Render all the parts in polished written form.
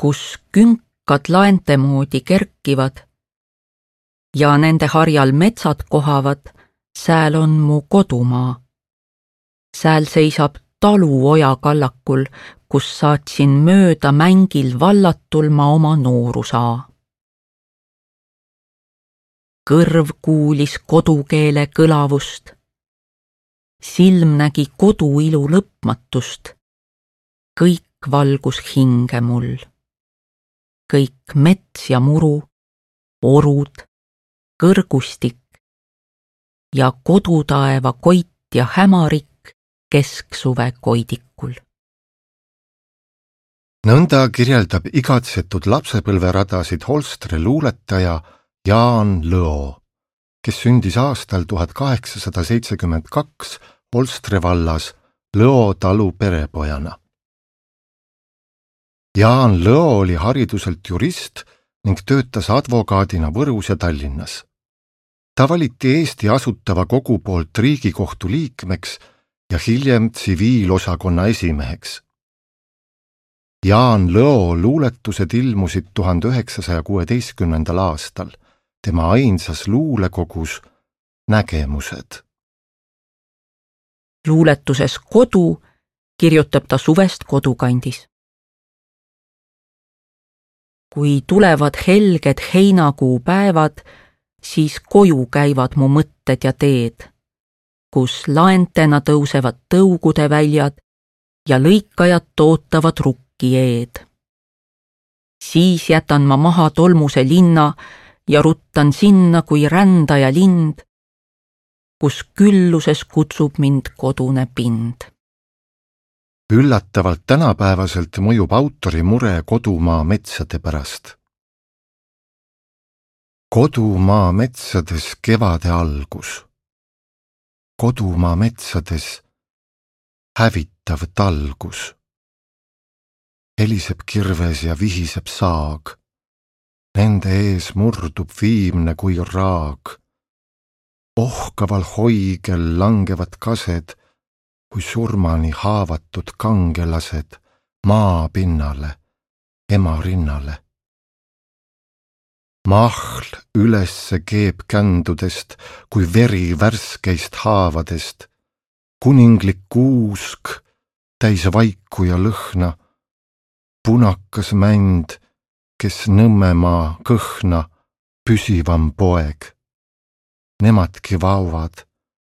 kus künkad laente moodi kerkivad ja nende harjal metsad kohavad, sääl on mu kodumaa. Sääl seisab talu oja kallakul, kus saatsin mööda mängil vallatul ma oma noorusaa. Kõrv kuulis kodukeele kõlavust, silm nägi koduilu lõpmatust, kõik valgus hinge mul. Kõik mets ja muru, orud, kõrgustik ja kodutaeva koit ja hämarik kesksuve koidikul. Nõnda kirjeldab igatsetud lapsepõlveradasid Holstre luuletaja Jaan Lõo, kes sündis aastal 1872 Holstre vallas Lõo talu perepojana. Jaan Lõo oli hariduselt jurist ning töötas advokaadina Võrus ja Tallinnas. Ta valiti Eesti Asutava Kogu poolt Riigikohtu liikmeks ja hiljem tsiviilosakonna esimeheks. Jaan Lõo luuletused ilmusid 1916. aastal, tema ainsas luulekogus Nägemused. Luuletuses Kodu kirjutab ta suvest kodukandis. Kui tulevad helged heinakuu päevad, siis koju käivad mu mõtted ja teed, kus laentena tõusevad tõugude väljad ja lõikajad tootavad rukki eed. Siis jätan ma maha tolmuse linna ja ruttan sinna kui rändaja lind, kus külluses kutsub mind kodune pind. Üllatavalt tänapäevaselt mõjub autori mure kodumaa metsade pärast. Kodumaa metsades kevade algus. Kodumaa metsades hävitav talgus. Heliseb kirves ja vihiseb saag. Nende ees murdub viimne kui raag. Ohkaval hoigel langevad kased, kui surmani haavatud kangelased maa pinnale, ema rinnale. Mahl ülesse keeb kändudest, kui veri värskeist haavadest, kuninglik kuusk, täis vaiku ja lõhna, punakas mänd, kes Nõmmemaa kõhna, püsivam poeg. Nemadki vaovad,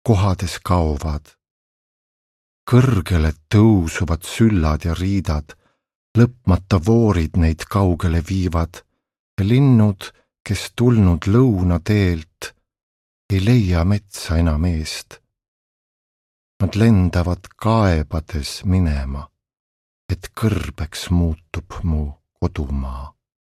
kohades kaovad. Kõrgele tõusuvad süllad ja riidad, lõpmata voorid neid kaugele viivad ja linnud, kes tulnud lõunateelt, ei leia metsa enam eest. Nad lendavad kaebades minema, et kõrbeks muutub mu kodumaa.